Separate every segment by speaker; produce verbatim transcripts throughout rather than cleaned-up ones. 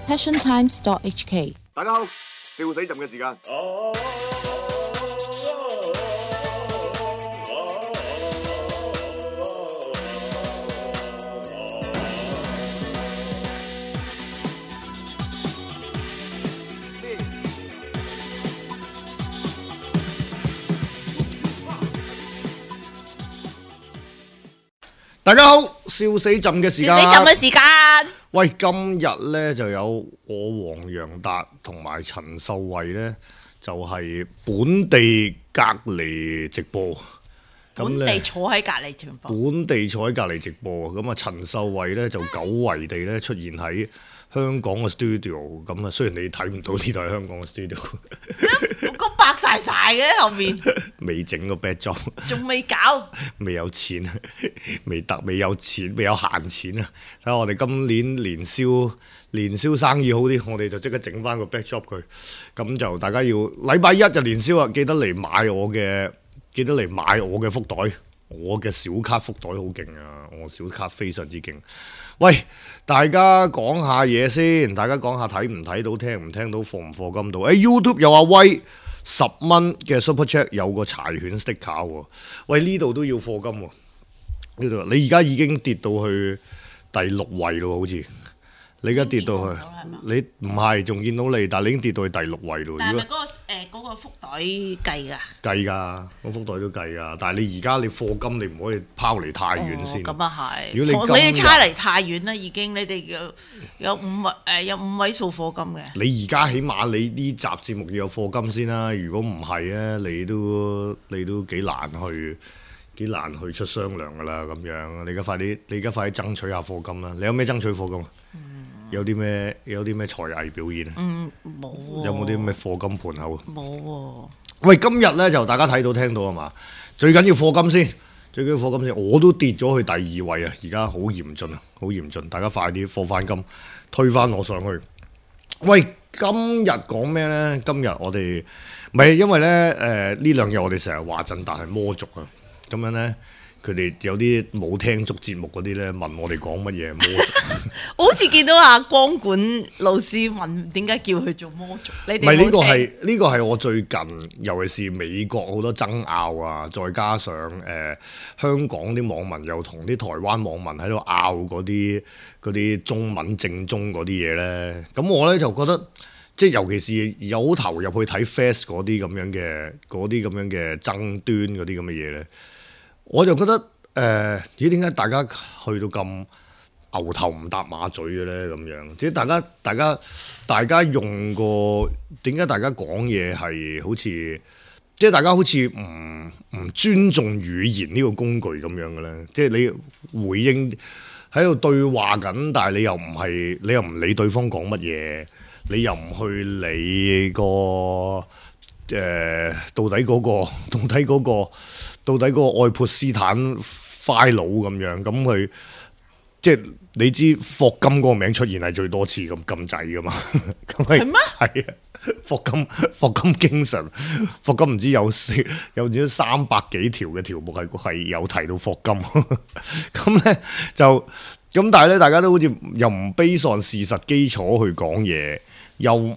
Speaker 1: passion times dot h k。
Speaker 2: 大家好，笑死朕嘅時間。大家好，笑死朕嘅時間。
Speaker 3: 笑死朕嘅時間。
Speaker 2: 喂，今日咧就有我黃洋達同埋陳秀慧咧，就係、是、本地隔離直播。
Speaker 3: 本地坐喺隔離直播。
Speaker 2: 本地坐喺隔離直播，咁啊陳秀慧咧就久違地咧出現喺香港嘅 studio。咁啊雖然你睇唔到呢度係香港嘅 studio，
Speaker 3: 個白晒晒嘅後面，
Speaker 2: 未整個 backdrop，
Speaker 3: 仲未搞，
Speaker 2: 未有錢，未得，未有錢，未有閒錢啊！睇下我哋今年年宵年宵生意好啲，我哋就即刻整翻個 backdrop 佢。咁就大家要禮拜一就年宵啊，記得嚟買我嘅。記得嚟買我嘅福袋，我嘅小卡福袋好勁啊！我小卡非常之勁。喂，大家講下嘢先，大家講下睇唔睇到，聽唔聽到，課唔課金到？誒、欸、YouTube 有阿威十蚊嘅 Super Chat 有個柴犬 sticker 喎。喂，呢度都要課金喎。呢度你而家已經跌到去第六位咯，好似。你而家跌到去，你唔係仲見到你，但係你已經跌到去第六位咯。
Speaker 3: 但係咪嗰個誒嗰個福袋計㗎？
Speaker 2: 計㗎，個福袋都計㗎。但係你而家你課金，你唔可以拋離太遠先。
Speaker 3: 咁啊係。
Speaker 2: 如果你
Speaker 3: 你哋差離太遠啦，已經你哋有有五位誒有五位數課金嘅。
Speaker 2: 你而家起碼你呢集節目要有課金先啦。如果唔係咧，你都你都幾難去幾難去出雙糧㗎啦。咁樣你而家快啲，你而家快啲爭取下課金啦。你有咩爭取課金啊？嗯有啲咩有啲咩才藝表演啊？
Speaker 3: 嗯，冇喎。
Speaker 2: 有冇啲咩課金盤口啊？
Speaker 3: 冇喎。
Speaker 2: 喂，今日咧就大家睇到聽到啊嘛，最緊要課金先，最緊要課金先。我都跌咗去第二位啊，而家好嚴峻啊，好嚴峻。大家快啲課翻金，推翻我上去。喂，今日講咩咧？今日我哋唔係因為咧誒呢兩日、呃、我哋成日話陣，但係魔族啊，咁樣咧。佢哋有啲冇聽足節目嗰啲咧，問我哋講乜嘢魔族？
Speaker 3: 我好似見到阿光管老師問點解叫佢做魔族？你哋
Speaker 2: 唔係呢個係呢個係我最近，尤其是美國好多爭拗啊，再加上誒、呃、香港啲網民又同啲台灣網民喺度拗嗰啲嗰啲中文正宗嗰啲嘢咧，咁我咧就覺得即係尤其是有投入去睇 Fast 嗰啲咁樣嘅嗰啲咁樣嘅爭端嗰啲咁嘅嘢咧。我就覺得誒，咦點解大家去到咁牛頭唔搭馬嘴嘅咧？咁樣即係大家大家大家用個點解大家講嘢係好似即係大家好似唔唔尊重語言呢個工具咁樣嘅咧？即係你回應喺度對話緊，但係你又唔係你又唔理對方講乜嘢，你又唔去理個誒、呃、到底嗰個到底嗰個。到底嗰個愛潑斯坦 file 咁樣，咁佢即係你知霍金嗰個名出現係最多次咁咁滯噶嘛？係咩？係啊，霍金霍金經常霍金唔知有有唔知三百幾條嘅條目係係有提到霍金，咁咧就咁，但係咧大家都好似又唔 base on事實基礎去講嘢。又唔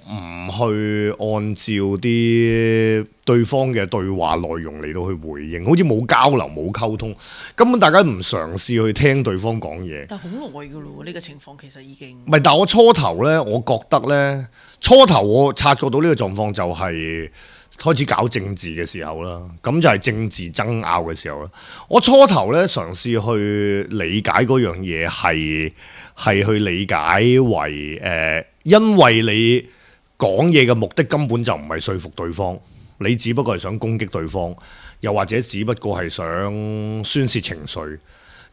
Speaker 2: 去按照啲對方嘅對話內容嚟到去回應，好似冇交流冇溝通，根本大家唔嘗試去聽對方講嘢。
Speaker 3: 但係好耐㗎咯喎，呢個情況其實已經
Speaker 2: 唔係，但係我初頭呢，我覺得呢，初頭我察覺到呢個狀況就係開始搞政治嘅時候啦，咁就係政治爭拗嘅時候啦。我初頭呢，嘗試去理解嗰樣嘢係係去理解為誒。呃因為你講嘢嘅目的根本就唔係說服對方，你只不過係想攻擊對方，又或者只不過係想宣泄情緒。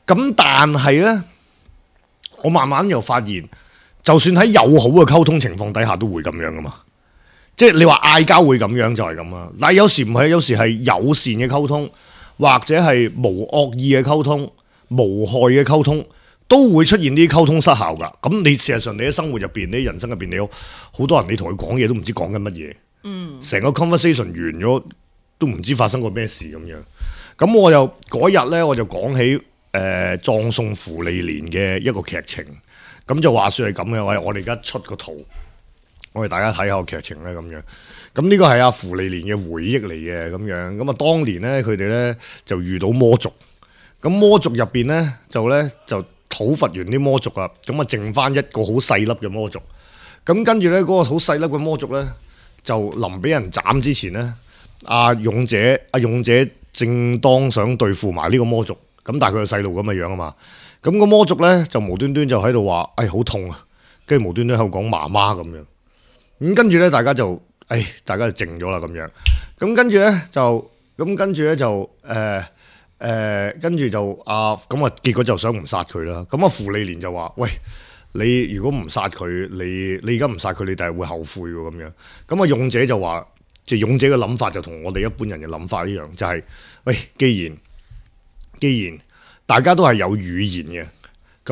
Speaker 2: 咁但係呢，我慢慢又發現，就算喺友好嘅溝通情況底下都會咁樣噶嘛。即係你話嗌交會咁樣就係咁啦。但係有時唔係，有時係友善嘅溝通，或者係無惡意嘅溝通、無害嘅溝通。都會出現啲溝通失效㗎，咁你事實上你喺生活入邊，你人生入邊，你有好多人你同佢講嘢都唔知講緊乜嘢，嗯，成個 conversation 完咗都唔知發生過咩事咁樣。咁我又嗰日咧我就講起誒葬送芙莉蓮嘅一個劇情。咁就話說係咁嘅，我我哋而家出個圖，我哋大家睇下個劇情咧咁樣。咁呢個係阿芙莉蓮嘅回憶嚟嘅咁樣。咁啊，當年咧佢哋咧就遇到魔族，咁魔族入邊咧就咧就討伐完啲魔族啊，咁啊剩翻一個好細粒嘅魔族。咁跟住咧嗰個好細粒嘅魔族咧，就臨俾人斬之前咧，阿勇者阿勇者正當想對付埋呢個魔族，咁但係佢個細路咁嘅樣啊嘛。咁個魔族咧就無端端就喺度話，哎好痛啊！跟住無端端喺度講媽媽咁樣。咁跟住咧，大家就，哎，大家就靜咗啦咁樣。咁跟住咧就，咁跟住咧就，誒誒，跟住就啊，咁啊，結果就想唔殺佢啦。咁啊，芙莉蓮就話，喂，你如果唔殺佢，你你而家唔殺佢，你第日會後悔喎咁樣。咁啊，勇者就話，即係勇者嘅諗法就同我哋一般人嘅諗法一樣，就係，喂，既然既然大家都係有語言嘅，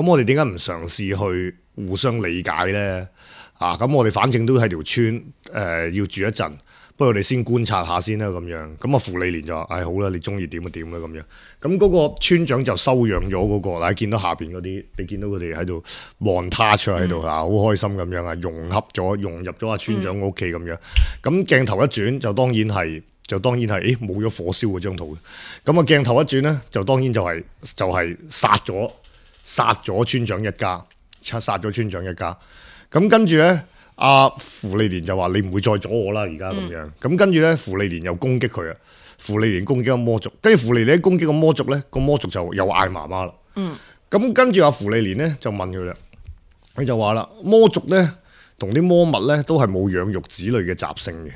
Speaker 2: 咁我哋點解唔嘗試去互相理解咧？啊，咁我哋反正都喺條村，誒、呃、要住一陣，不如我哋先觀察下先啦咁樣。咁啊，芙莉蓮就話：唉、哎，好啦，你中意點就點啦咁樣。咁嗰個村長就收養咗嗰、那個，嗱，見到下邊嗰啲，你見到佢哋喺度望他出喺度啊，好開心咁樣啊，融合咗，融入咗阿村長屋企咁樣。咁鏡頭一轉，就當然係，就當然係，誒冇咗火燒嗰張圖。咁啊，鏡頭一轉咧，就當然就係、是、就係、是、殺咗殺咗村長一家，殺殺咗村長一家。咁跟住咧，阿芙莉蓮就話：你唔會再阻我啦，而家咁樣。咁、嗯、跟住咧，芙莉蓮又攻擊佢啊！芙莉蓮攻擊個魔族，跟住芙莉蓮攻擊個魔族咧，個魔族就又嗌媽媽啦。嗯。咁跟住阿芙莉蓮咧就問佢啦，佢就話啦：魔族咧同啲魔物咧都係冇養育子女嘅習性嘅。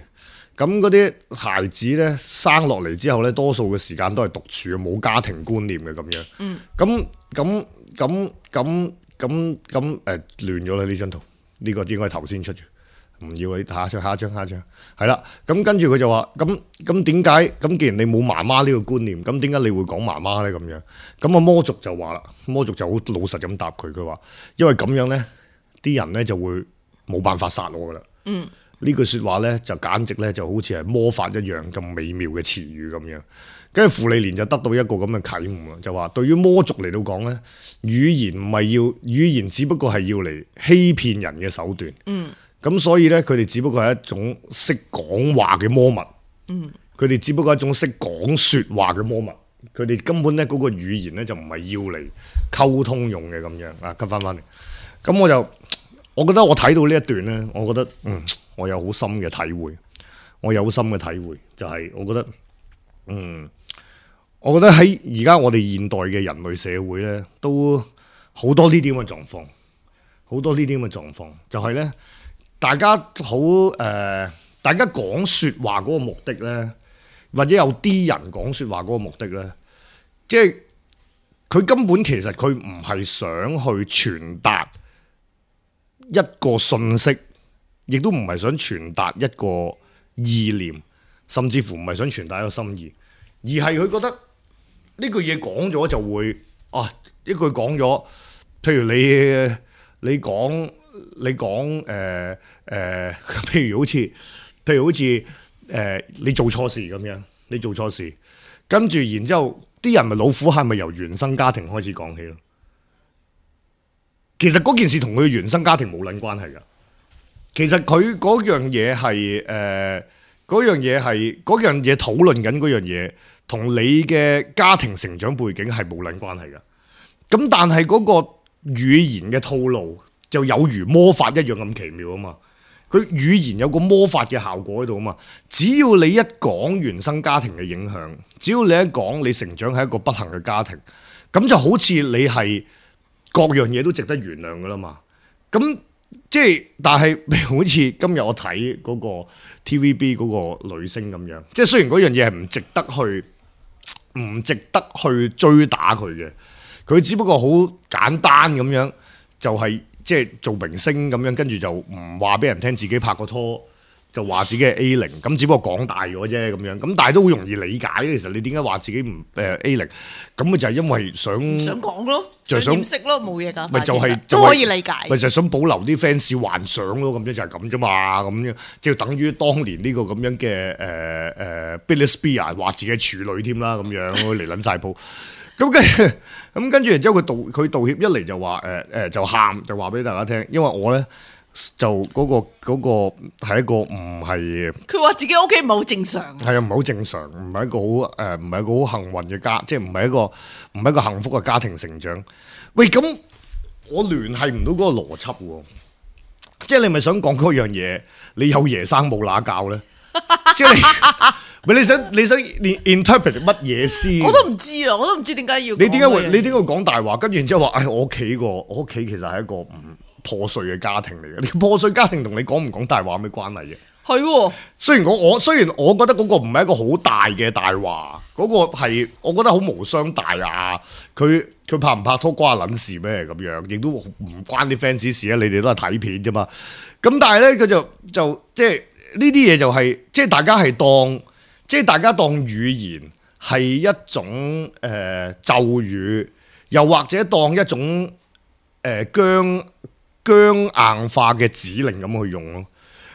Speaker 2: 咁嗰啲孩子咧生落嚟之後咧，多數嘅時間都係獨處，冇家庭觀念嘅咁樣。嗯。咁咁咁咁咁咁誒亂咗啦呢張圖。呢個應該係頭先出嘅，唔要你下一張，下一張，下一張，係啦。咁跟住佢就話：咁咁點解？咁既然你冇媽媽呢個觀念，咁點解你會講媽媽咧？咁樣咁啊魔族就話啦，魔族就好老實咁答佢，佢話：因為咁樣咧，啲人咧就會冇辦法殺我噶啦。嗯，呢句説話咧就簡直咧就好似係魔法一樣咁美妙嘅詞語咁樣。跟住芙莉蓮就得到一個咁嘅啟悟，就話對於魔族嚟到講咧，語言唔係要語言，只不過係要嚟欺騙人嘅手段。嗯，咁所以咧，佢哋只不過係一種識講話嘅魔物。嗯，佢哋只不過係一種識講説話嘅魔物。佢哋根本咧嗰個語言咧就唔係要嚟溝通用嘅咁樣啊。跟翻翻嚟，咁我就我覺得我睇到呢一段咧，我覺得嗯，我有好深嘅體會，我有好深嘅體會，就係、是、我覺得嗯。我覺得喺而家我哋現代嘅人類社會咧，都好多呢啲咁嘅狀況，好多呢啲咁嘅狀況，就係、是、咧，大家好誒、呃，大家講説話嗰個目的咧，或者有啲人講説話嗰個目的咧，即係佢根本其實佢唔係想去傳達一個信息，亦都唔係想傳達一個意念，甚至乎唔係想傳達一個心意，而係佢覺得。呢句嘢講咗就會啊，一句講咗，譬如你你講你講誒誒，譬如好似譬如好似誒、呃、你做錯事咁樣，你做錯事，跟住然之後啲人咪老虎係咪由原生家庭開始講起咯？其實嗰件事同佢嘅原生家庭冇撚關係㗎。其實佢嗰樣嘢係誒嗰樣嘢係嗰樣嘢討論緊嗰樣嘢。同你嘅家庭成長背景係冇撚關係嘅，咁但係嗰個語言嘅套路就有如魔法一樣咁奇妙啊嘛！佢語言有個魔法嘅效果喺度啊嘛！只要你一講原生家庭嘅影響，只要你一講你成長喺一個不幸嘅家庭，咁就好似你係各樣嘢都值得原諒噶啦嘛！咁即係，但係好似今日我睇嗰個 T V B 嗰個女星咁樣，即係雖然嗰樣嘢係唔值得去。唔值得去追打佢嘅，佢只不過好簡單咁樣，就係即係做明星咁樣，跟住就唔話俾人聽自己拍過拖，就話自己係 A 零，咁只不過講大咗啫咁樣，咁但係都好容易理解。其實你點解話自己唔誒 A 零？咁咪就係因為想
Speaker 3: 想講咯，
Speaker 2: 就想
Speaker 3: 掩飾咯，冇嘢㗎。
Speaker 2: 咪就係
Speaker 3: 都可以理解。
Speaker 2: 咪就係想保留啲 fans 幻想咯，咁樣就係咁啫嘛，咁樣即係等於當年呢個咁樣嘅誒誒 Britney Spears 話自己係處女添啦，咁樣嚟撚晒鋪。咁跟住咁跟住，然之後佢道佢道歉一嚟就話誒誒就喊就話俾大家聽，因為我咧。就嗰、嗰個嗰、嗰個係一個唔係，
Speaker 3: 佢話自己屋企唔係好正常，
Speaker 2: 係啊唔係好正常，唔係一個好誒唔係一個好幸運嘅家，即係唔係一個唔係一個幸福嘅家庭成長。喂，咁我聯繫唔到嗰個邏輯喎，即係你咪想講嗰樣嘢，你有爺生冇乸教咧？即係你咪你想你想 interpret 乜嘢先？
Speaker 3: 我都唔知啊，我都唔知點解要。
Speaker 2: 你點解會你點解會講大話？跟住然之後話，唉、哎，我屋企個我屋企其實係一個唔破碎嘅家庭嚟嘅。你破碎家庭同你講唔講大話有咩關係嘅？係喎。雖然我我雖然我覺得嗰個唔係一個好大嘅大話，嗰、嗰個係我覺得好無傷大雅。佢佢拍唔拍拖關我撚事咩？咁樣亦都唔關啲 fans 事啊！你哋都係睇片啫嘛。咁但係咧，佢就就即係呢啲嘢就係、是、即係大家係當即係大家當語言係一種誒、呃、咒語，又或者當一種誒、呃、僵。僵硬化嘅指令咁去用咯，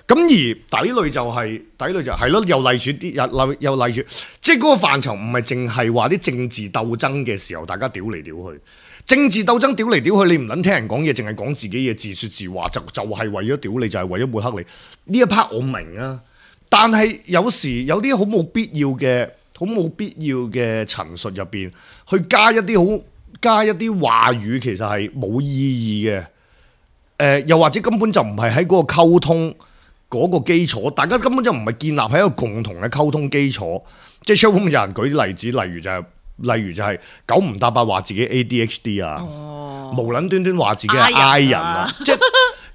Speaker 2: 咁而底類就係、是、底類就係、是、咯，又例如啲又例又例如，即係嗰個範疇唔係淨係話啲政治鬥爭嘅時候，大家屌嚟屌去，政治鬥爭屌嚟屌去，你唔撚聽人講嘢，淨係講自己嘢，自説自話，就就係、是、為咗屌你，就係、是、為咗抹黑你。呢一 part 我明啊，但係有時有啲好冇必要嘅、好冇必要嘅陳述入邊，去加一啲好加一啲話語，其實係冇意義嘅。誒、呃，又或者根本就唔係喺嗰個溝通嗰個基礎，大家根本就唔係建立喺一個共同嘅溝通基礎。即係 showroom 有人舉啲例子，例如就係、是，例如就係九唔搭八話自己 A D H D 啊，哦、無撚端端話自己係 I 人啊，即係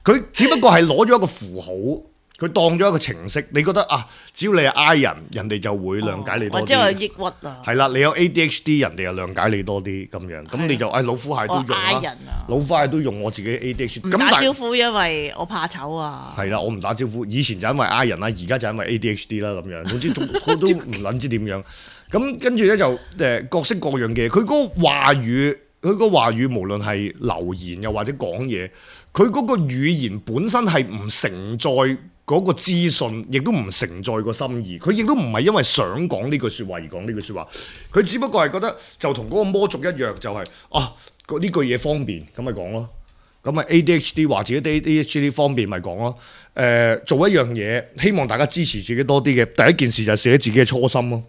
Speaker 2: 佢只不過係攞咗一個符號。佢當咗一個程式，你覺得啊，只要你係 I 人，人哋就會諒解你多啲。或者係抑鬱啊？係啦，你有 A D H D，人哋又諒解你多啲咁樣，咁你就誒、哎、老虎蟹都用啦。啊、老虎蟹都用我自己 A D H D。
Speaker 3: 唔打招呼，因為我怕醜啊。係
Speaker 2: 啦，我唔打招呼。以前就因為 I 人啦，而家就因為 A D H D 啦咁樣。總之都都唔撚知點樣。咁跟住咧就誒、呃、各式各樣嘅，佢嗰個話語，佢嗰個話語無論係留言又或者講嘢，佢嗰個語言本身係唔承載嗰個資訊，亦都唔承載個心意。佢亦都唔係因為想講呢句説話而講呢句説話，佢只不過係覺得就同嗰個魔族一樣，就係、是、啊呢句嘢方便，咁咪講咯。咁咪 A D H D 話自己 A D H D 方便咪講咯。誒、呃、做一樣嘢，希望大家支持自己多啲嘅第一件事就係寫自己嘅初心咯。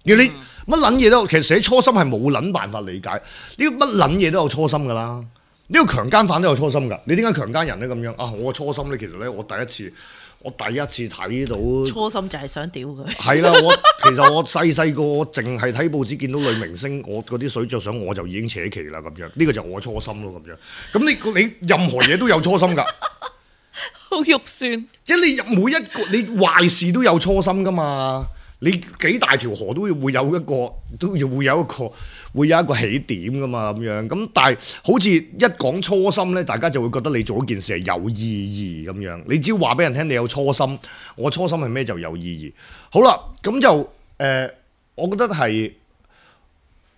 Speaker 2: 而你乜撚嘢都，其實寫初心係冇撚辦法理解。呢個乜撚嘢都有初心㗎啦。呢個強姦犯都有初心㗎，你點解強姦人咧咁樣啊？我個初心咧，其實咧，我第一次，我第一次睇到
Speaker 3: 初心就係想屌佢。係
Speaker 2: 啦，我其實我細細個，我淨係睇報紙見到女明星，我嗰啲水著相我就已經扯旗啦咁樣。呢個就係我初心咯咁樣。咁你你任何嘢都有初心㗎，
Speaker 3: 好肉酸。即係
Speaker 2: 你每一個你壞事都有初心㗎嘛。你幾大條河都會會有一個，都要會有一個，會有一個起點噶嘛咁樣。咁但係好似一講初心咧，大家就會覺得你做一件事係有意義咁樣。你只要話俾人聽你有初心，我初心係咩就有意義。好啦，咁就誒、呃，我覺得係，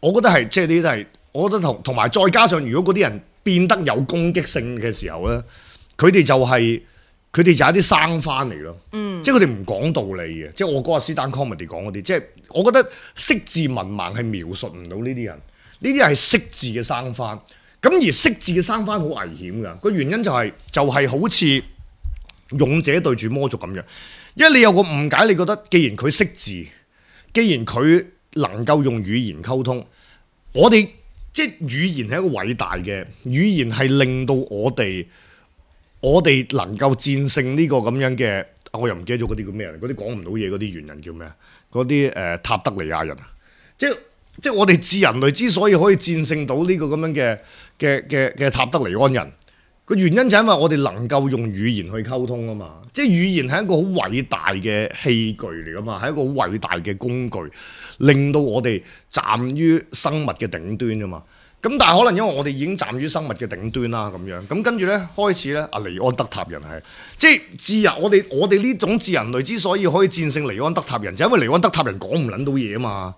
Speaker 2: 我覺得係即係呢啲係，我覺得同同埋再加上，如果嗰啲人變得有攻擊性嘅時候咧，佢哋就係、是。佢哋就係一啲生翻嚟咯，嗯、即係佢哋唔講道理嘅，即係我嗰日 stand comedy 講嗰啲，即係我覺得識字文盲係描述唔到呢啲人，呢啲係識字嘅生翻，咁而識字嘅生翻好危險㗎，個原因就係、是、就係、是、好似勇者對住魔族咁樣，因為你有個誤解，你覺得既然佢識字，既然佢能夠用語言溝通，我哋即係語言係一個偉大嘅語言，係令到我哋。我哋能夠戰勝呢個咁樣嘅，我又唔記得咗嗰啲叫咩人，嗰啲講唔到嘢嗰啲猿人叫咩？嗰啲誒塔德利亞人啊，即係即係我哋智人類之所以可以戰勝到呢個咁樣嘅嘅嘅嘅塔德尼安人，個原因就係因為我哋能夠用語言去溝通啊嘛，即係語言係一個好偉大嘅器具嚟噶嘛，係一個好偉大嘅工具，令到我哋站於生物嘅頂端啊嘛。咁但係可能因為我哋已經站於生物嘅頂端啦，咁樣咁跟住咧開始咧，阿尼安德塔人係即係智人，我哋我哋呢種智人類之所以可以戰勝尼安德塔人，就因為尼安德塔人講唔撚到嘢啊嘛，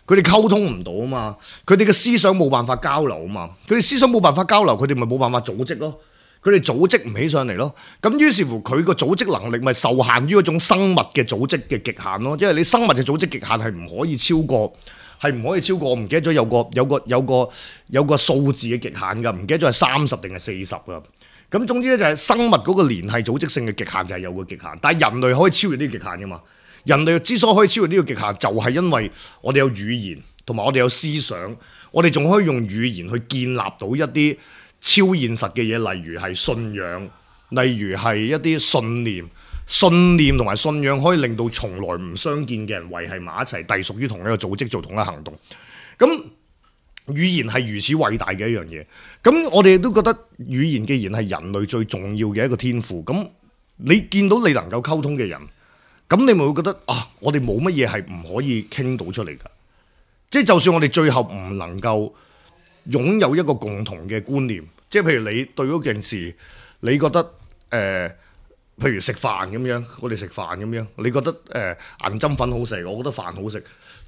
Speaker 2: 佢哋溝通唔到啊嘛，佢哋嘅思想冇辦法交流啊嘛，佢哋思想冇辦法交流，佢哋咪冇辦法組織咯，佢哋組織唔起上嚟咯，咁於是乎佢個組織能力咪受限於嗰種生物嘅組織嘅極限咯，因為你生物嘅組織極限係唔可以超過。係唔可以超過，我唔記得咗有個有個有個有個數字嘅極限㗎，唔記得咗係三十定係四十㗎。咁總之咧就係生物嗰個聯繫組織性嘅極限就係有個極限，但係人類可以超越呢個極限㗎嘛。人類之所以可以超越呢個極限，就係因為我哋有語言同埋我哋有思想，我哋仲可以用語言去建立到一啲超現實嘅嘢，例如係信仰，例如係一啲信念。信念同埋信仰可以令到從來唔相見嘅人維繫埋一齊，隸屬於同一個組織做同一個行動。咁語言係如此偉大嘅一樣嘢。咁我哋都覺得語言既然係人類最重要嘅一個天賦，咁你見到你能夠溝通嘅人，咁你咪會覺得啊，我哋冇乜嘢係唔可以傾到出嚟㗎。即係就算我哋最後唔能夠擁有一個共同嘅觀念，即係譬如你對嗰件事，你覺得誒？呃譬如食飯咁樣，我哋食飯咁樣，你覺得誒、呃、銀針粉好食，我覺得飯好食。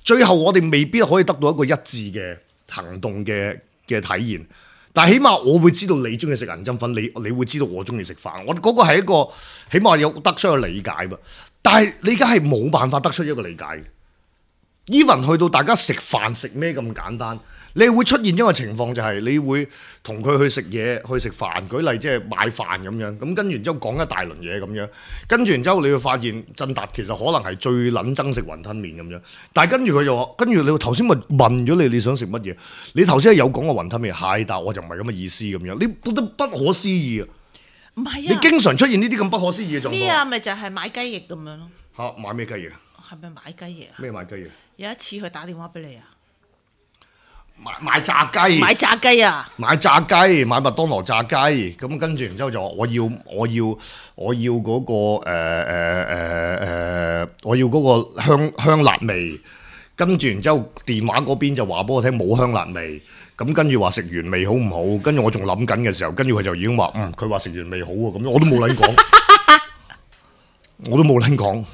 Speaker 2: 最後我哋未必可以得到一個一致嘅行動嘅嘅體驗，但係起碼我會知道你中意食銀針粉，你你會知道我中意食飯。我嗰個係一個起碼有得出一個理解噃。但係你而家係冇辦法得出一個理解嘅。even 去到大家食飯食咩咁簡單，你會出現一個情況就係你會同佢去食嘢去食飯，舉例即係買飯咁樣，咁跟住然之後講一大輪嘢咁樣，跟住然之後你會發現振達其實可能係最撚憎食雲吞麵咁樣，但係跟住佢就話，跟住你頭先咪問咗你你想食乜嘢？你頭先係有講過雲吞麵，係，但我就唔係咁嘅意思咁樣，你覺得不可思議啊！
Speaker 3: 唔係啊，
Speaker 2: 你經常出現呢啲咁不可思議嘅狀況。
Speaker 3: 呢啊，咪就係買雞翼咁樣咯。
Speaker 2: 嚇，買咩雞翼？
Speaker 3: 係咪買雞翼啊？
Speaker 2: 咩買雞翼？
Speaker 3: 有一次佢打電話俾你啊，
Speaker 2: 買買炸雞，
Speaker 3: 買炸雞啊，
Speaker 2: 買炸雞，買麥當勞炸雞，咁跟住然之後就話我要我要我要嗰、個誒誒誒誒，我要嗰個香香辣味，跟住然之後電話嗰邊就話俾我聽冇香辣味，咁跟住話食原味好唔好？跟住我仲諗緊嘅時候，跟住佢就已經話嗯，佢話食原味好喎，咁樣我都冇撚講，我都冇撚講。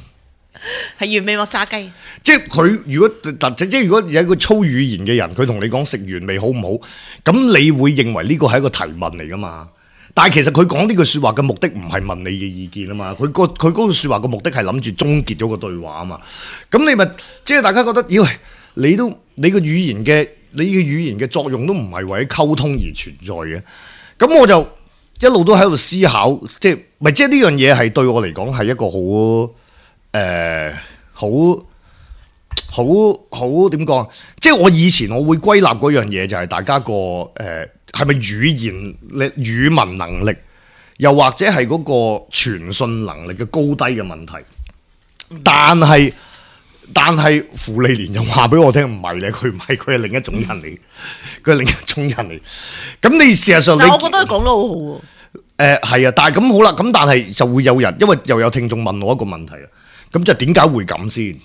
Speaker 3: 係原味或炸雞，
Speaker 2: 即係佢如果即係如果有一個粗語言嘅人，佢同你講食原味好唔好，咁你會認為呢個係一個提問嚟噶嘛？但係其實佢講呢句説話嘅目的唔係問你嘅意見啊嘛，佢個佢嗰句説話嘅目的係諗住終結咗個對話啊嘛。咁你咪即係大家覺得，咦？你都你個語言嘅你嘅語言嘅作用都唔係為咗溝通而存在嘅。咁我就一路都喺度思考，即係咪即係呢樣嘢係對我嚟講係一個好。誒、呃，好好好點講？即係我以前我會歸納嗰樣嘢就係大家個誒係咪語言力語文能力，又或者係嗰個傳訊能力嘅高低嘅問題。但係但係傅利蓮就話俾我聽唔係咧，佢唔係，佢係另一種人嚟，佢係另一種人嚟。咁你事實上你，
Speaker 3: 我覺得佢講得好好喎。
Speaker 2: 誒係啊，但係咁好啦，咁但係就會有人，因為又有聽眾問我一個問題啊。咁就點解會咁先？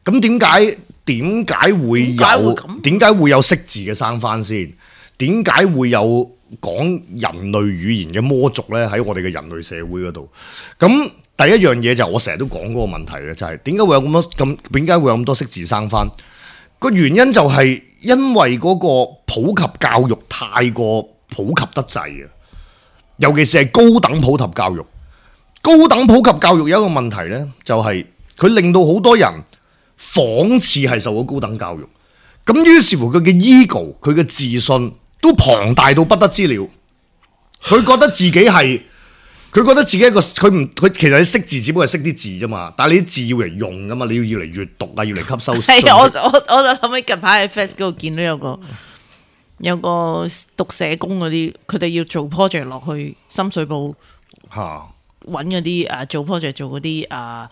Speaker 2: 咁點解點解會有點解會有識字嘅生番先？點解會有講人類語言嘅魔族咧？喺我哋嘅人類社會嗰度，咁第一樣嘢就係我成日都講嗰個問題嘅，就係點解會有咁多咁點解會有咁多識字生番？個原因就係因為嗰個普及教育太過普及得滯啊，尤其是係高等普及教育。高等普及教育有一個問題呢，就係、是、佢令到好多人仿似係受咗高等教育，咁於是乎佢嘅 ego 佢嘅自信都龐大到不得之了。佢覺得自己係，佢覺得自己一個佢唔佢其實你識字只不過係識啲字啫嘛，但係你啲字要嚟用噶嘛，你要要嚟閱讀啊，要嚟吸收。
Speaker 3: 係我我我就諗起近排喺 Facebook 嗰度見到有個有個讀社工嗰啲，佢哋要做 project 落去深水埗嚇。啊揾嗰啲誒做 project 做嗰啲誒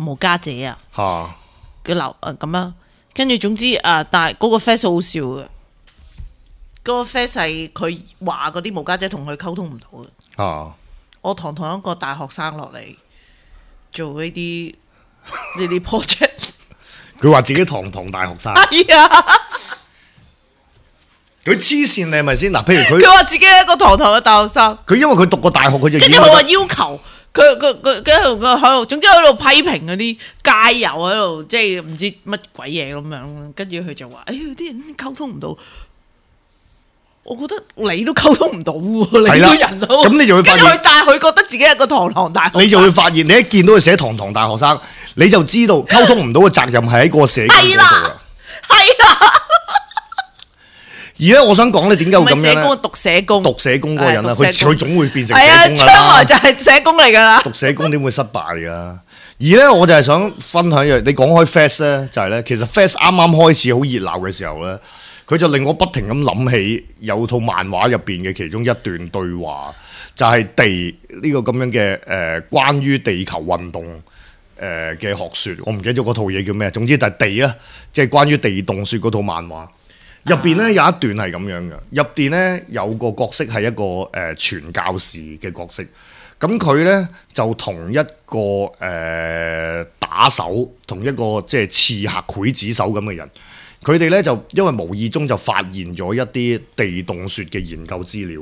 Speaker 3: 無家者啊，嘅樓誒咁樣，跟住總之誒、啊，但係嗰個 face 好笑嘅，嗰、嗰個 face 係佢話嗰啲無家者同佢溝通唔到嘅。啊！我堂堂一個大學生落嚟做呢啲呢啲 project，
Speaker 2: 佢話自己堂堂大學生。
Speaker 3: 係啊！
Speaker 2: 佢黐線你係咪先？嗱，譬如佢
Speaker 3: 佢話自己係一個堂堂嘅大學生，
Speaker 2: 佢因為佢讀過大學，佢就
Speaker 3: 跟住佢話要求佢佢佢跟住佢喺度，總之喺度批評嗰啲街友喺度，即係唔知乜鬼嘢咁樣。跟住佢就話：哎呀，啲人溝通唔到。我覺得你都溝通唔到喎，你個人都
Speaker 2: 咁你就會發現，
Speaker 3: 但係佢覺得自己係個堂堂大學生，
Speaker 2: 你就會發現，你一見到佢寫堂堂大學生，你就知道溝通唔到嘅責任係喺個社工嗰度啦。
Speaker 3: 係啦。
Speaker 2: 而咧，我想講咧，點解會咁樣咧？
Speaker 3: 社工讀社工，
Speaker 2: 讀社工嗰個人啦，佢佢總會變成
Speaker 3: 係啊，
Speaker 2: 社工㗎啦。
Speaker 3: 將來就係社工嚟㗎啦。
Speaker 2: 讀社工點會失敗㗎？而咧，我就係想分享一樣，你講開 Fast 咧，就係咧，其實 Fast 啱啱開始好熱鬧嘅時候咧，佢就令我不停咁諗起有套漫畫入邊嘅其中一段對話，就係、是、地呢、這個咁樣嘅誒、呃，關於地球運動誒嘅學説，我唔記得咗嗰套嘢叫咩，總之就係地啊，即係關於地動説嗰套漫畫。入邊咧有一段係咁樣嘅，入邊咧有個角色係一個誒、呃、傳教士嘅角色，咁佢咧就同一個誒、呃、打手，同一個即係刺客劊子手咁嘅人，佢哋咧就因為無意中就發現咗一啲地動説嘅研究資料，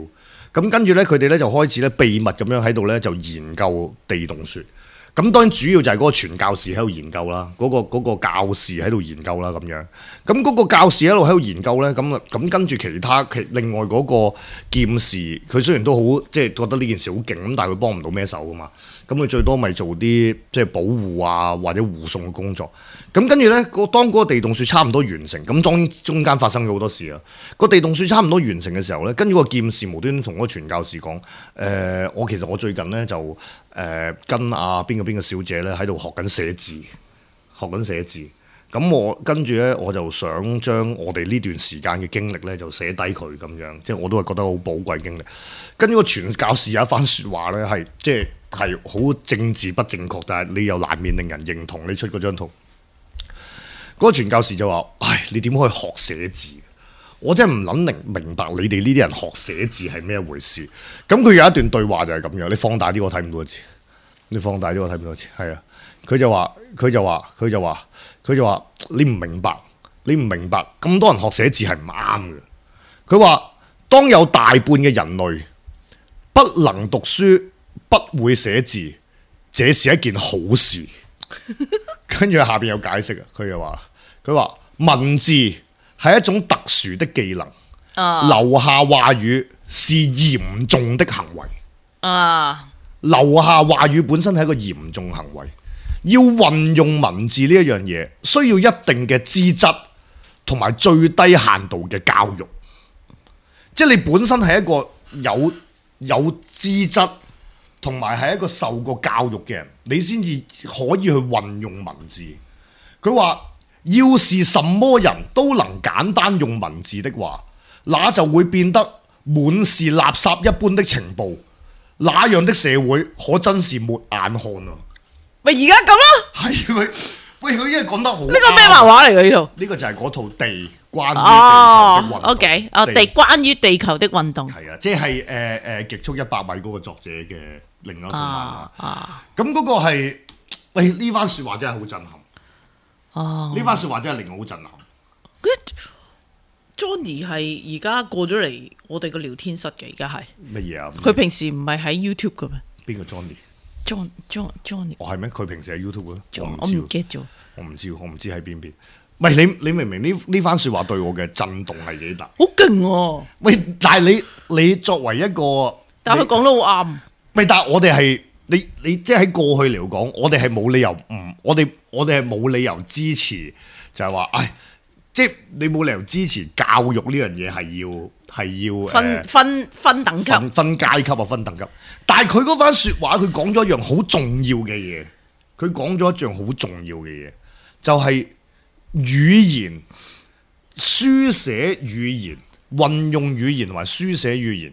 Speaker 2: 咁跟住咧佢哋咧就開始咧秘密咁樣喺度咧就研究地動説。咁當然主要就係嗰個傳教士喺度研究啦，嗰、嗰個嗰個教士喺度研究啦咁樣。咁嗰個教士一路喺度研究咧，咁咁跟住其他其另外嗰個劍士，佢雖然都好即係覺得呢件事好勁，咁但係佢幫唔到咩手噶嘛。咁佢最多咪做啲即係保護啊或者護送嘅工作。咁跟住咧，個當嗰個地動説差唔多完成，咁當然中間發生咗好多事啊。個地動説差唔多完成嘅時候咧，跟住個劍士無端端同嗰個傳教士講：誒、呃，我其實我最近咧就誒、呃、跟阿邊個邊個小姐咧喺度學緊寫字，學緊寫字。咁我跟住咧，我就想將我哋呢段時間嘅經歷咧就寫低佢咁樣，即係我都係覺得好寶貴經歷。跟住個傳教士有一番説話咧，係即係係好政治不正確，但係你又難免令人認同。你出嗰張圖。嗰個傳教士就話：唉，你點可以學寫字？我真係唔撚明明白你哋呢啲人學寫字係咩回事。咁佢有一段對話就係咁樣，你放大啲我睇唔到個字，你放大啲我睇唔到個字。係啊，佢就話，佢就話，佢就話，佢就話，你唔明白，你唔明白，咁多人學寫字係唔啱嘅。佢話：當有大半嘅人類不能讀書、不會寫字，這是一件好事。跟住下邊有解釋啊，佢就話。佢話文字係一種特殊的技能，啊、留下話語是嚴重的行為。啊，留下話語本身係一個嚴重行為，要運用文字呢一樣嘢，需要一定嘅資質同埋最低限度嘅教育。即係你本身係一個有有資質同埋係一個受過教育嘅人，你先至可以去運用文字。佢話。要是什麼人都能簡單用文字的話，那就會變得滿是垃圾一般的情報，那樣的社會可真是沒眼看啊！
Speaker 3: 咪而家咁咯，
Speaker 2: 係佢喂佢因為講得好，
Speaker 3: 呢個咩漫畫嚟嘅呢度？
Speaker 2: 呢個就係嗰套地關於地球的運動。
Speaker 3: 哦 ，OK，哦地關於地球的運動
Speaker 2: 係啊，即係誒誒極速一百米嗰個作者嘅另一套漫畫。啊
Speaker 3: 啊，
Speaker 2: 咁嗰個係喂呢番説話真係好震撼。
Speaker 3: 哦，
Speaker 2: 呢番説話真係令我好震撼。
Speaker 3: Johnny 係而家過咗嚟我哋個聊天室嘅，而家係
Speaker 2: 乜嘢啊？
Speaker 3: 佢平時唔係喺 YouTube 嘅咩？
Speaker 2: 邊個 Johnny？John
Speaker 3: John Johnny？
Speaker 2: 哦係咩？佢平時喺 YouTube 嘅？
Speaker 3: 我唔記得咗。
Speaker 2: 我唔知，我唔知喺邊邊。喂，你你明唔明呢呢番説話對我嘅震動係幾大？
Speaker 3: 好勁喎！
Speaker 2: 喂，但係你你作為一個，
Speaker 3: 但係佢講得好啱。
Speaker 2: 喂，但係我哋係你你即係喺過去嚟講，我哋係冇理由唔，我哋我哋係冇理由支持，就係話，唉，即係你冇理由支持教育呢樣嘢係要係要
Speaker 3: 分、呃、分分等級，
Speaker 2: 分分階級啊，分等級。但係佢嗰番説話，佢講咗一樣好重要嘅嘢，佢講咗一樣好重要嘅嘢，就係語言、書寫語言、運用語言同埋書寫語言，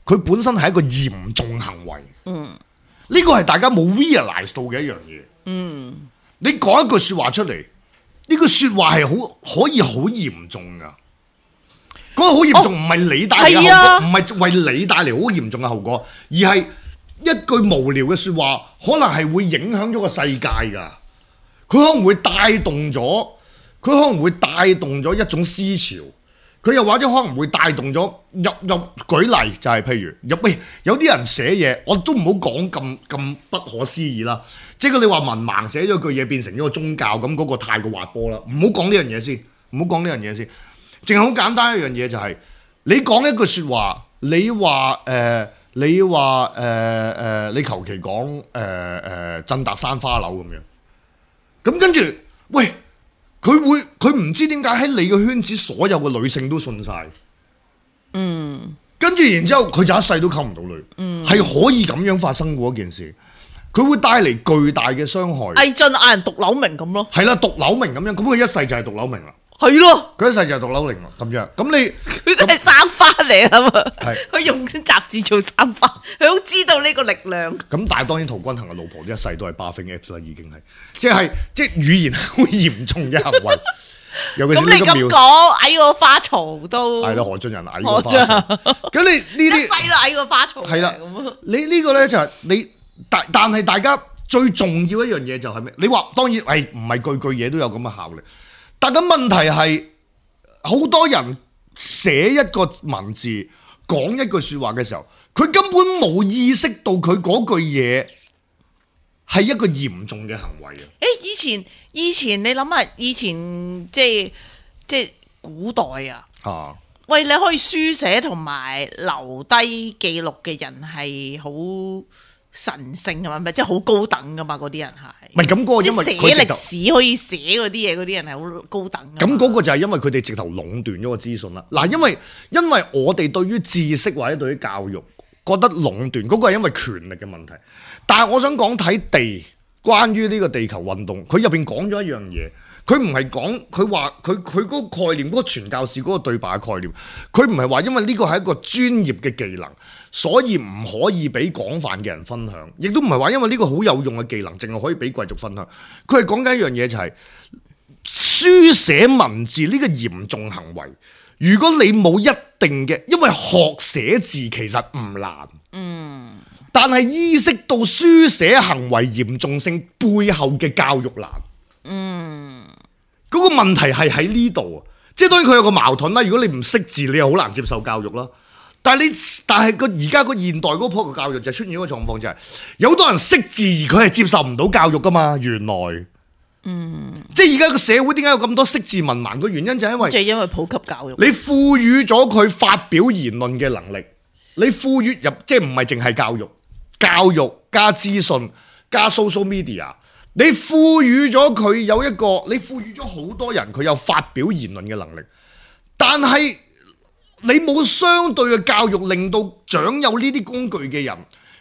Speaker 2: 佢本身係一個嚴重行為。嗯，呢個係大家冇 realize 到嘅一樣嘢。嗯，你講一句説話出嚟，呢句説話係好可以好嚴重噶。嗰個好嚴重唔係你帶嚟嘅後果，唔係為你帶嚟好嚴重嘅後果，而係一句無聊嘅説話，可能係會影響咗個世界噶。佢可能會帶動咗，佢可能會帶動咗一種思潮。佢又或者可能會帶動咗入入舉例，就係譬如入喂有啲人寫嘢，我都唔好講咁咁不可思議啦。即係你話文盲寫咗句嘢變成咗個宗教，咁嗰個太過滑坡啦。唔好講呢樣嘢先，唔好講呢樣嘢先。淨係好簡單一樣嘢就係、是、你講一句説話，你話誒、呃，你話誒誒，你求其講誒誒振達山花樓咁樣，咁跟住喂。佢會佢唔知點解喺你嘅圈子所有嘅女性都信晒，嗯，跟住然之後佢就一世都溝唔到女，嗯，係可以咁樣發生嘅一件事，佢會帶嚟巨大嘅傷害。
Speaker 3: 魏晉嗌人毒瘤明咁咯，
Speaker 2: 係啦，毒瘤明咁樣，咁佢一世就係毒瘤明啦，
Speaker 3: 係咯，
Speaker 2: 佢一世就係毒瘤明啦，咁樣，咁你
Speaker 3: 佢都係生花嚟啊嘛，
Speaker 2: 係
Speaker 3: 佢用啲雜誌做生花，佢好知道呢個力量。
Speaker 2: 咁但係當然陶君行嘅老婆一世都係 buffing apps 啦，已經係，即係即係語言好嚴重嘅行為。尤其是
Speaker 3: 咁你咁講，矮個花槽都
Speaker 2: 係啦，何俊仁矮個花槽。咁你呢啲
Speaker 3: 一世都矮個花槽。
Speaker 2: 係啦，你呢個咧就係你，但但係大家最重要一樣嘢就係咩？你話當然係唔係句句嘢都有咁嘅效力？但係問題係好多人寫一個文字講一句説話嘅時候，佢根本冇意識到佢嗰句嘢係一個嚴重嘅行為啊！
Speaker 3: 誒，以前以前你諗下，以前即係即係古代啊，啊喂，你可以書寫同埋留低記錄嘅人係好神聖㗎嘛，咪即係好高等㗎嘛，嗰啲人係。唔係咁嗰個，因為佢寫歷史可以寫嗰啲嘢，嗰啲人係好高等。咁
Speaker 2: 嗰個就係因為佢哋直頭壟斷咗個資訊啦。嗱，因為因為我哋對於知識或者對於教育覺得壟斷，嗰個係因為權力嘅問題。但係我想講睇地，關於呢個地球運動，佢入邊講咗一樣嘢，佢唔係講佢話佢佢嗰個概念，嗰個傳教士嗰個對白嘅概念，佢唔係話因為呢個係一個專業嘅技能，所以唔可以俾廣泛嘅人分享，亦都唔係話因為呢個好有用嘅技能，淨係可以俾貴族分享。佢係講緊一樣嘢就係書寫文字呢個嚴重行為。如果你冇一定嘅，因為學寫字其實唔難，嗯。但係意識到書寫行為嚴重性背後嘅教育難，嗯，嗰個問題係喺呢度啊，即係當然佢有個矛盾啦。如果你唔識字，你又好難接受教育啦。但係你，但係個而家個現代嗰個教育就出現一個狀況，就係有好多人識字而佢係接受唔到教育噶嘛。原來，嗯，即係而家個社會點解有咁多識字文盲嘅原因就係因為，
Speaker 3: 就係因為普及教育，
Speaker 2: 你賦予咗佢發表言論嘅能力，你賦予入即係唔係淨係教育。教育加資訊加 social media， 你賦予咗佢有一個，你賦予咗好多人佢有發表言論嘅能力，但係你冇相對嘅教育，令到掌有呢啲工具嘅人，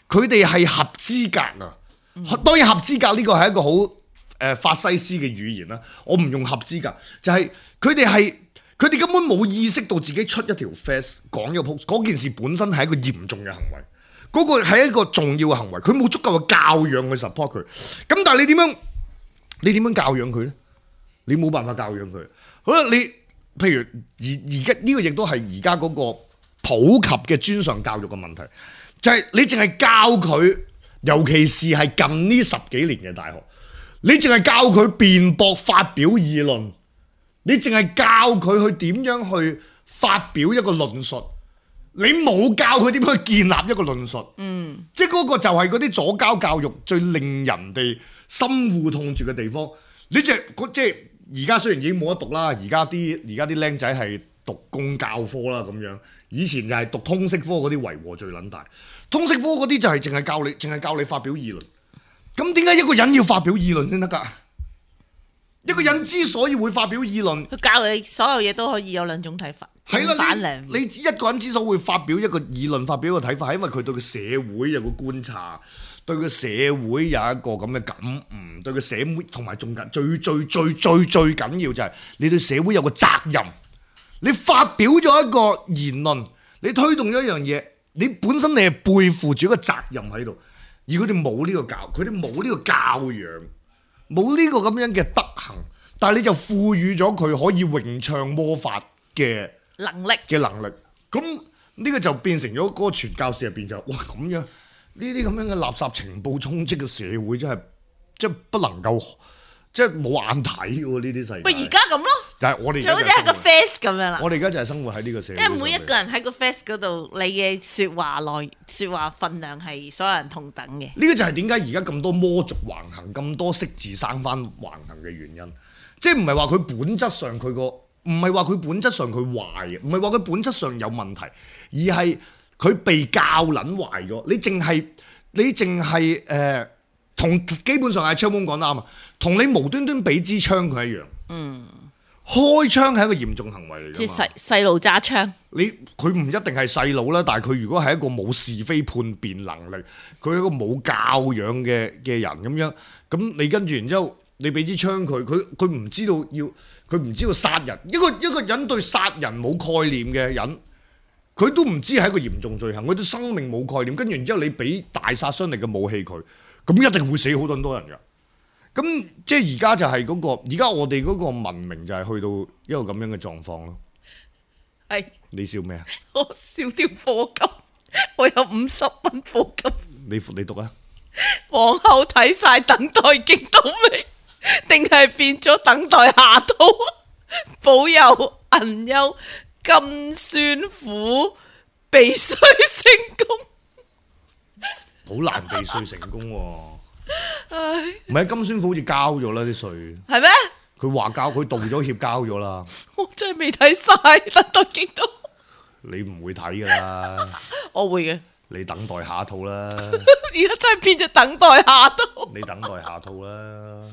Speaker 2: 佢哋係合資格啊！嗯、當然合資格呢個係一個好誒、呃、法西斯嘅語言啦，我唔用合資格，就係佢哋係佢哋根本冇意識到自己出一條 face 講一個 post， 嗰件事本身係一個嚴重嘅行為。嗰個係一個重要嘅行為，佢冇足夠嘅教養去 support 佢。咁但係你點樣？你點樣教養佢呢？你冇辦法教養佢。好啦，你譬如而而家呢個亦都係而家嗰個普及嘅專上教育嘅問題，就係、是、你淨係教佢，尤其是係近呢十幾年嘅大學，你淨係教佢辯駁、發表議論，你淨係教佢去點樣去發表一個論述。你冇教佢點樣去建立一個論述，嗯，即係嗰個就係嗰啲左膠教育最令人哋心護痛住嘅地方。你即係即係而家雖然已經冇得讀啦，而家啲而家啲僆仔係讀公教科啦咁樣，以前就係讀通識科嗰啲為禍最撚大。通識科嗰啲就係淨係教你，淨係教你發表議論。咁點解一個人要發表議論先得㗎？嗯、一個人之所以會發表議論，
Speaker 3: 佢教你所有嘢都可以有兩種睇法。
Speaker 2: 係啦，你你一個人之所以會發表一個議論、發表一個睇法，係因為佢對個社會有個觀察，對個社會有一個咁嘅感悟，對個社會同埋仲緊最最最最最緊要就係你對社會有個責任。你發表咗一個言論，你推動咗一樣嘢，你本身你係背負住一個責任喺度，而佢哋冇呢個教，佢哋冇呢個教養，冇呢個咁樣嘅德行，但係你就賦予咗佢可以詠唱魔法嘅
Speaker 3: 能力
Speaker 2: 嘅能力，咁呢個就變成咗嗰個傳教士入邊就哇咁樣呢啲咁樣嘅垃圾情報充斥嘅社會真係即係不能夠即係冇眼睇喎呢啲世界。
Speaker 3: 喂，而家咁咯，
Speaker 2: 但係我哋
Speaker 3: 就好似係個 face 咁樣啦。
Speaker 2: 我哋而家就係生活喺呢個社會。
Speaker 3: 因為每一個人喺個 face 嗰度，你嘅説話內説話分量係所有人同等嘅。
Speaker 2: 呢個就係點解而家咁多魔族橫行，咁多識字生翻橫行嘅原因。即係唔係話佢本質上佢個，唔係話佢本質上佢壞嘅，唔係話佢本質上有問題，而係佢被教撚壞咗。你淨係你淨係誒。同基本上係槍鋒講得啱啊，同你無端端俾支槍佢一樣。嗯，開槍係一個嚴重行為嚟㗎嘛。即係細
Speaker 3: 細路揸槍，
Speaker 2: 你佢唔一定係細路啦，但係佢如果係一個冇是非判別能力，佢係一個冇教養嘅嘅人咁樣，咁你跟住然之後你俾支槍佢，佢佢唔知道要，佢唔知道殺人。一個一個人對殺人冇概念嘅人，佢都唔知係一個嚴重罪行，佢對生命冇概念，跟住然之後你俾大殺傷力嘅武器佢。咁一定會死好多多人㗎，咁即係而家就係嗰個，而家我哋嗰個文明就係去到一個咁樣嘅狀況咯。係你笑咩啊？
Speaker 3: 我笑條課金，我有五十蚊課金。
Speaker 2: 你你讀啊？
Speaker 3: 往後睇晒等待極到未？定係變咗等待下套？保佑銀優金酸苦避稅成功。
Speaker 2: 好難避稅成功喎、啊，唔係金宣府好似交咗啦啲稅，係咩？佢話交，佢道咗歉交咗啦。
Speaker 3: 我真係未睇晒，等待極到。
Speaker 2: 你唔會睇噶啦，
Speaker 3: 我會嘅。
Speaker 2: 你等待下一套啦。而
Speaker 3: 家真係變咗等待下套。
Speaker 2: 你等待下套啦。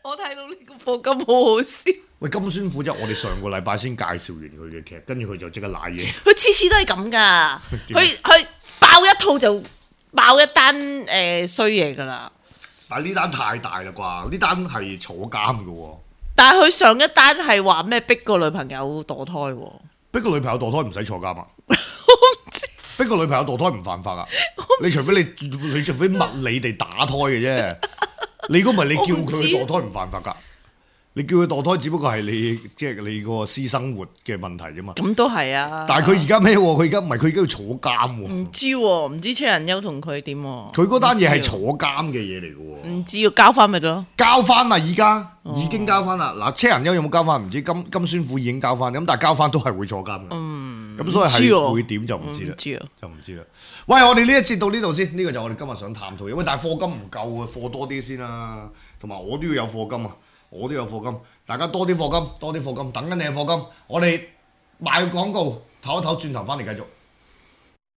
Speaker 3: 我睇到呢個課金好好笑。
Speaker 2: 喂，金宣虎即係我哋上個禮拜先介紹完佢嘅劇，跟住佢就即刻瀨嘢。
Speaker 3: 佢次次都係咁噶，佢佢爆一套就。爆一單誒衰嘢㗎啦！
Speaker 2: 但係呢單太大啦啩，呢單係坐監㗎喎。
Speaker 3: 但係佢上一單係話咩逼個女朋友墮胎喎？
Speaker 2: 逼個女朋友墮胎唔使坐監啊！
Speaker 3: 我唔知
Speaker 2: 逼個女朋友墮胎唔犯法啊！你除非你你除非物理地打胎嘅啫，你如果唔係你叫佢墮胎唔犯法㗎。你叫佢墮胎，只不過係你即係、就是、你個私生活嘅問題啫嘛。
Speaker 3: 咁都係啊！
Speaker 2: 但係佢而家咩？佢而家唔係佢而家要坐監喎。
Speaker 3: 唔知喎、啊，唔知車人優同佢點喎？
Speaker 2: 佢嗰單嘢係坐監嘅嘢嚟嘅喎。
Speaker 3: 唔知要交翻咪得咯？交
Speaker 2: 翻啦，而家、哦、已經交翻啦。嗱，車人優有冇交翻？唔知金金宣虎已經交翻，咁但係交翻都係會坐監嘅。嗯，咁所以係會點就唔知啦。
Speaker 3: 唔知啊，
Speaker 2: 就唔知啦。喂，我哋呢一節到呢度先，呢、這個就我哋今日想探討嘅。喂，但係課金唔夠啊，課多啲先啦。同埋我都要有課金啊。我都有課金，大家多啲課金，多啲課金，等緊你嘅課金。我哋賣廣告，唞一唞，轉頭翻嚟繼續。